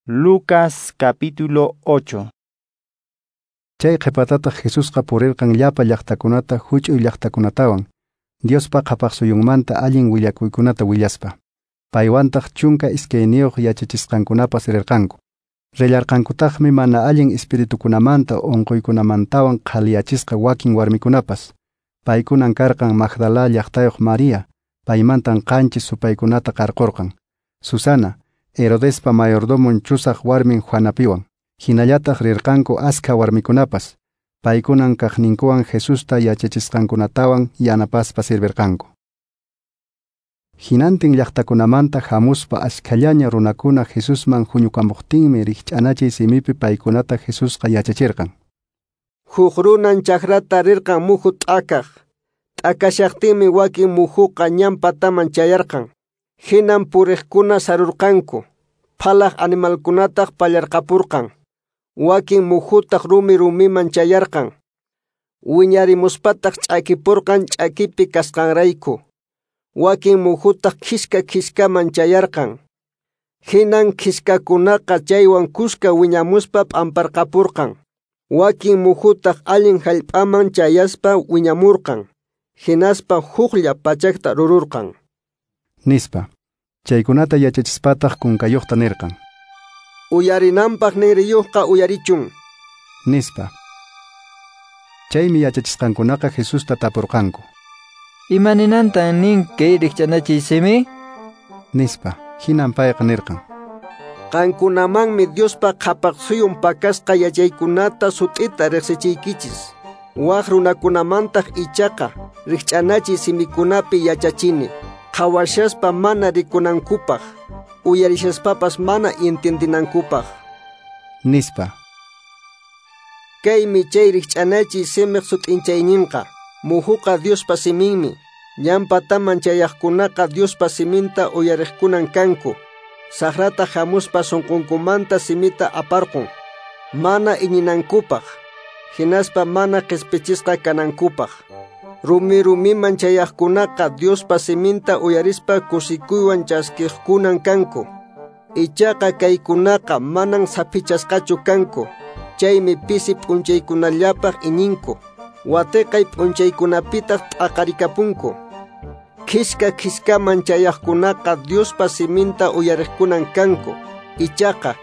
Lucas capítulo 8. Chay qhipatataq Jesusqa purirqan llapa llaqtakunata huch'uy llaqtakunatawan, Diospa qhapaqsuyunmanta allin willakuykunata willaspa. Paywantaq 12 yachachisqankunapas rirqanku. Rillarqankutaqmi mana allin espiritukunamanta unquykunamantawan qhaliyachisqa wakin warmikunapas. Paykunan karqan Magdala llaqtayuq María, paymantan 7 supaykunata qarqurqan. Susana, Herodespa mayordomon chusaq warmin Juanapiwan. Hinallataq rirqanku askha warmikunapas. Paykunan kaqninkuwan Jesusta yachachisqankunatawan yanapaspa sirvirqanku. Hinantin llaqtakunamanta hamuspa askhallaña runakuna Jesusman huñukamuqtinmi rikch'anachiy simipi paykunata Jesusqa yachachirqan. Huk runan chakrata rirqan muhu t'akaq. T'akashaqtinmi wakin muhuqa ñan pataman chayarqan. Hinan puriqkuna sarurqanku. Phalaq animalkunataq pallarqapurqan. Wakin muhutaq rumi rumiman chayarqan. Wiñarimuspataq ch'akipurqan ch'akipi kasqanrayku. Wakin muhutaq khiska khiskaman chayarqan. Hinan khiskakunaqa chaywan kuska wiñamuspa p'amparqapurqan. Wakin muhutaq allin hallp'aman chayaspa wiñamurqan. Hinaspa huklla pachakta rururqan. Nispa. Chaykunata yachachispataq kunkayuqta nirqan. Uyarinanpaq ninriyuqqa uyarichun. Nispa. Chaymi yachachisqankunaqa Jesusta tapurqanku. Imaninantan nin kay rikch'anachiy simi? Nispa. Hinan payqa nirqan. Qankunamanmi Diospa qhapaqsuyun pakasqa yachaykunata sut'ita riqsichiykichis. Waq runakunamantaq ichaqa rikch'anachiy simikunapi yachachini. Qhawashaspa mana rikunankupaq, uyarishaspapas mana entiendinankupaq. Nispa. Kaymi chay rikch'anachiy simiq sut'inchayninqa. Muhuqa Diospa siminmi. Ñan pataman chayaqkunaqa Diospa siminta uyariqkunan kanku. Saqrata hamuspa sunqunkumanta simita aparqun. Mana iñinankupaq, hinaspa mana qispichisqa kanankupaq. Rumi rumiman chayaqkunaqa Diospa siminta uyarispa kusikuywan chaskiqkunan kanku. Ichaqa kaykunaqa manan saphichasqachu kanku. Chaymi pisi p'unchaykunallapaq iñinku. Watiqay p'unchaykunapitaq t'aqarikapunku. Khiska khiskaman chayaqkunaqa Diospa siminta uyariqkunan kanku. Ichaqa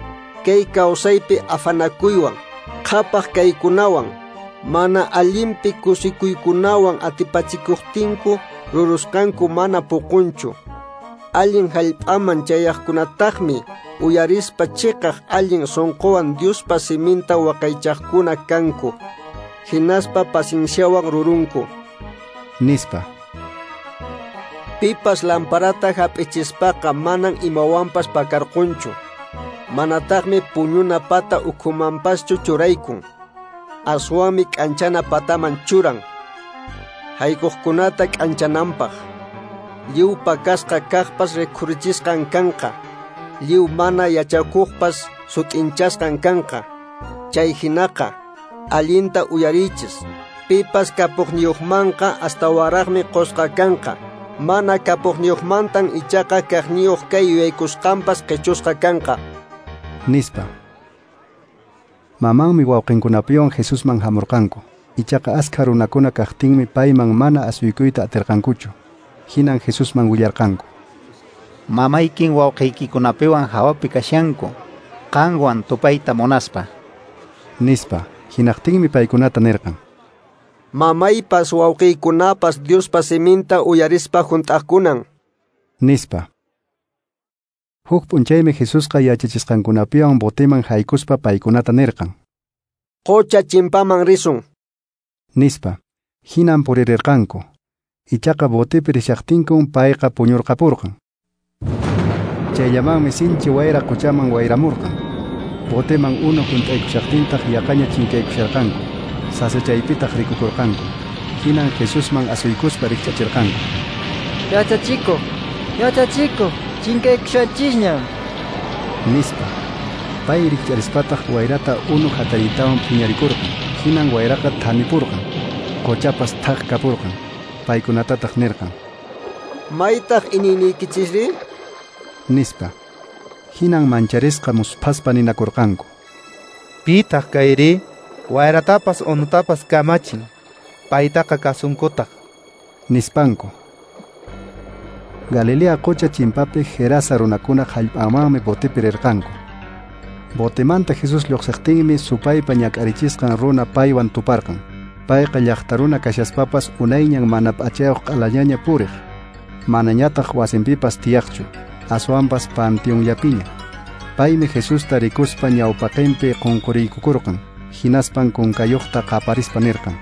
kay kawsaypi afanakuywan, qhapaq kaykunawan, mana allinpi kusikuykunawan atipachikuqtinku rurusqanku mana puqunchu. Allin hallp'aman chayaqkunataqmi uyarispa chiqaq allin sunquwan Diospa siminta waqaychaqkuna kanku. Hinaspa pacienciawan rurunku. Nispa. Pipas lamparata hap'ichispaqa manan imawanpas pakarqunchu. Manataqmi puñuna pata ukhumanpaschu churaykun. Aswanmi k'anchana pataman churan. Haykuqkunata k'anchananpaq. Lliw pakasqa kaqpas rikhurichisqan kanqa. Lliw mana yachakuqpas sut'inchasqan kanqa. Chay hinaqa allinta uyarichis. Pipas kapuqniyuqmanqa astawaraqmi qusqa kanqa. Mana kapuqniyuqmantan ichaqa kaqniyuq kay yuyaykusqanpas qichusqa kanqa. Nispa. Mamanmi wawqinkunapiwan Jesusman hamurqanku. Ichaqa askha runakuna kaqtinmi payman mana asuykuyta atirqankuchu. Hinan Jesusman willarqanku. Mamaykin wawqiykikunapiwan hawapi kashanku, qanwan tupayta munaspa. Nispa. Hinaqtinmi paykunata nirqan. Mamaypas wawqiykunapas Diospa siminta uyarispa hunt'aqkunan. Nispa. Huk p'unchaymi Jesusqa yachachisqankunapiwan boteman haykuspa paykunata nirqan. Qucha chimpaman risun. Nispa. Hinan puririrqanku. Ichaqa botepi rishaqtinkun payqa puñurqapurqan. Chayllamanmi sinchi wayra quchaman wayramurqan. Boteman unu hunt'aykushaqtintaq yaqaña chinkaykusharqanku. Sasachaypitaq rikukurqanku. Hinan Jesusman asuykuspa rikch'achirqanku. Yachachikuq, yachachikuq, chinkaykushanchisñam. Nispa. Pay rikch'arispataq wayrata unu hatariytawan phiñarikurqan. Hinan wayraqa thanipurqan. Quchapas thaq kapurqan. Paykunatataq nirqan. Maytaq iñiyniykichisri? Nispa. Hinan mancharisqa musphaspa ninakurqanku: Pitaq kayri? Wayratapas unutapas kamachin, paytaqa kasunkutaq, nispanku. Galilea qocha chimpapi Gerasa runakuna hallp'amanmi botepi rirqanku. Botemanta Jesús lluqsiqtinmi supaypa ñak'arichisqan runa paywan tuparqan. Payqa llaqta runa kashaspapas unayñan mana p'achayuq q'alañaña puriq, manañataq wasinpipas tiyaqchu, aswanpas panteonllapiña. Paymi Jesusta rikuspa ñawpaqinpi qunquriykukurqan, hinaspan kunkayuqta qaparispa nirqan: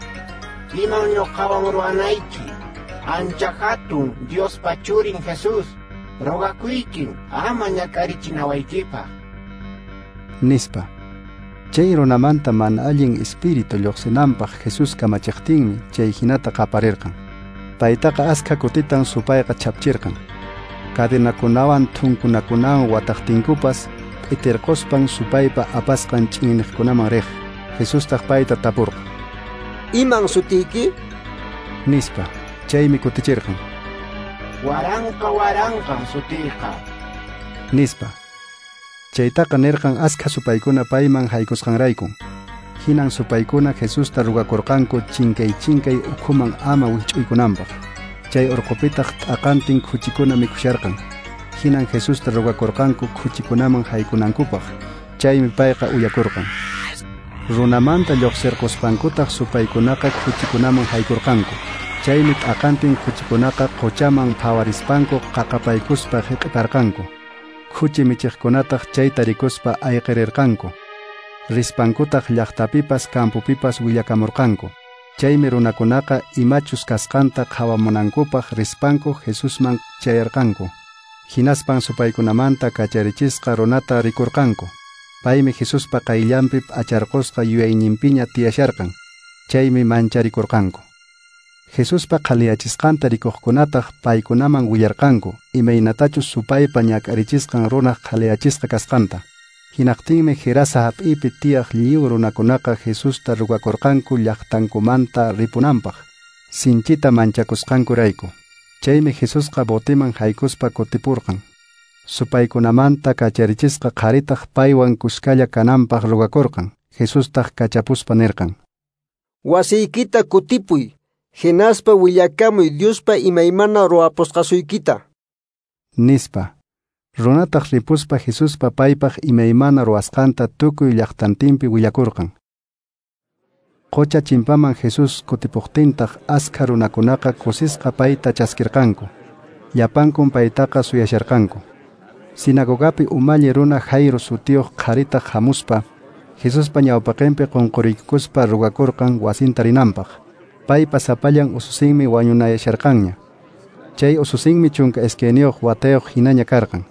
Iman ñuqawan ruwanayki, ancha hatun Diospa churin Jesús, rogakuykin ama ñak'arichinawaykipaq, nispa. Chay runamanta mana allin espíritu lluqsinanpaq Jesús kamachiqtinmi chay hinata qaparirqan. Paytaqa askha kutitan supayqa chapchirqan. Cadenakunawan thunkunakunawan wataqtinkupas p'itirquspan supaypa apasqan ch'inniqkunaman riq. Jesustaq payta tapurqan: Iman sutiyki? Nispa. Chaymi kutichirqan: Waranqa waranqan sutiyqa, nispa. Chaytaqa nirqan askha supaykuna payman haykusqanraykun. Hinan supaykuna Jesusta rugakurqanku chinkay chinkay ukhuman ama wikch'uykunanpaq. Chay urqupitaq t'aqantin khuchikuna mikhusharqan. Hinan Jesusta rugakurqanku khuchikunaman haykunankupaq. Chaymi payqa uyakurqan. Runamanta lluqsirquspankutaq supaykunaqa khuchikunaman haykurqanku. Chaymi t'aqantin khuchikunaqa quchaman phawarispanku qaqapaykuspa hiq'iparqanku. Khuchi michiqkunataq chayta rikuspa ayqirirqanku. Rispankutaq llaqtapipas campopipas willakamurqanku. Chaymi runakunaqa imachus kasqanta qhawamunankupaq rispanku Jesusman chayarqanku. Hinaspan supaykunamanta kacharichisqa runata rikurqanku. Paymi Jesuspa qayllanpi p'acharqusqa yuyayninpiña tiyasharqan. Chaymi mancharikurqanku. Jesuspa qhaliyachisqanta rikuqkunataq paykunaman willarqanku imaynatachus supaypa ñak'arichisqan runaq qhaliyachisqa kasqanta. Hinaqtinmi Gerasa hap'ipi tiyaq lliw runakunaqa Jesusta rugakurqanku llaqtankumanta ripunanpaq, sinchita manchakusqankurayku. Chaymi Jesusqa botiman haykuspa kutipurqan. Supaykunamanta kacharichisqa qharitaq paywan kuskalla kananpaq rugakurqan. Jesustaq kachapuspa nirqan: Wasiykita kutipuy, hinaspa willakamuy Diospa imaymana ruwapusqasuykita, nispa. Runataq ripuspa Jesuspa paypaq imaymana ruwasqanta tukuy llaqtantinpi willakurqan. Qocha chimpaman Jesús kutipuqtintaq askha runakunaqa kusisqa payta chaskirqanku. Llapankun paytaqa suyasharqanku. Sinagogapi umalli runa Jairo sutiyuq qharitaq hamuspa Jesuspa ñawpaqinpi qunquriykuspa rugakurqan wasinta rinanpaq. Paypa sapallan ususinmi wañunayasharqanña. Chay ususinmi 12 watayuq hinaña karqan.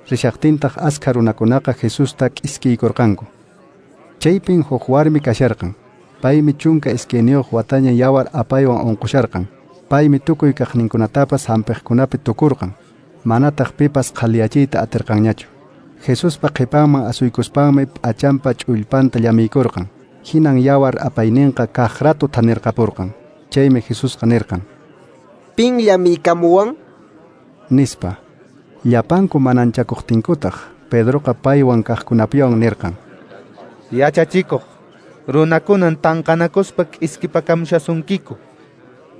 Rishaqtintaq askha runakunaqa Jesusta k'iskiykurqanku. Chaypin huk warmi kasharqan. Paymi 12 wataña yawar apaywan unqusharqan. Paymi tukuy kaqninkunatapas hampiqkunapi tukurqan. Manataq pipas qhaliyachiyta atirqanñachu. Jesuspa qhipanman asuykuspanmi p'achanpa ch'ullpanta llamiykurqan. Hinan yawar apayninqa kaq rato thanirqapurqan. Chaymi Jesusqa nirqan: Pin llamiykamuwan? Nispa. Llapanku mananchakuqtinkutaq Pedroqa paywan kaqkunapiwan nirqan: Yachachikuq, runakunan tanqanakuspa k'iskipakamushasunkiku,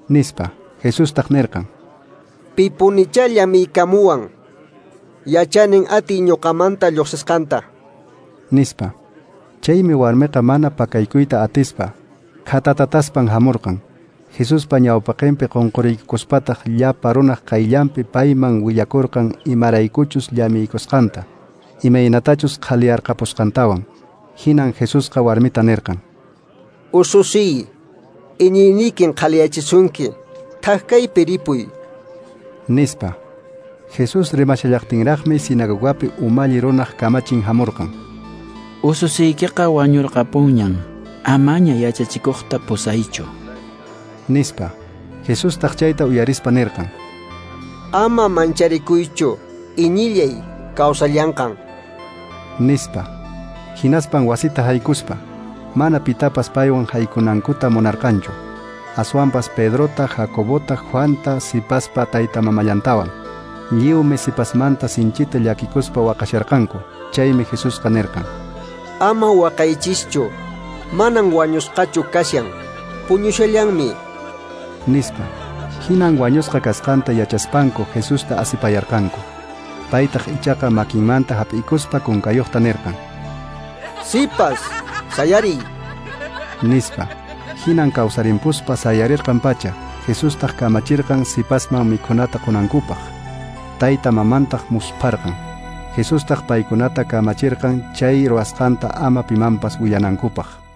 nispa. Jesustaq nirqan: Pipunichá llamiykamuwan, yachanin atiy ñuqamanta lluqsisqanta, nispa. Chaymi warmiqa mana pakaykuyta atispa khatatataspan hamurqan. Jesuspa ñawpaqinpi qunquriykuspataq llapa runaq qayllanpi payman willakurqan imaraykuchus llamiykusqanta, imaynatachus qhaliyarqapusqantawan. Hinan Jesusqa warmita nirqan: Ususiy, iñiynikin qhaliyachisunki, thak kaypi ripuy, nispa. Jesús rimashallaqtinraqmi sinagogapi umalli runaq kamachin hamurqan. Ususiykiqa wañurqapunñan, amaña yachachikuqta pusaychu, nispa. Jesustaq chayta uyarispa nirqan: Ama mancharikuychu, iñillay kawsallanqan, nispa. Hinaspan wasita haykuspa mana pitapas paywan haykunankuta munarqanchu, aswanpas Pedrota, Jacobota, Juanta, sipaspa tayta mamallantawan. Lliwmi sipasmanta sinchita llakikuspa waqasharqanku. Chaymi Jesusqa nirqan: Ama waqaychischu, manan wañusqachu kashan, puñushallanmi, nispa. Hinan wañusqa kasqanta yachaspanku Jesusta asipayarqanku. Paytaq ichaqa makinmanta hap'ikuspa kunkayuqta nirqan: Sipas, sayariy, nispa. Hinan kawsarimpuspa sayarirqan pacha. Jesustaq kamachirqan sipasman mikhunata qunankupaq. Tayta mamantaq muspharqan. Jesustaq paykunata kamachirqan chay ruwasqanta ama pimanpas willanankupaq.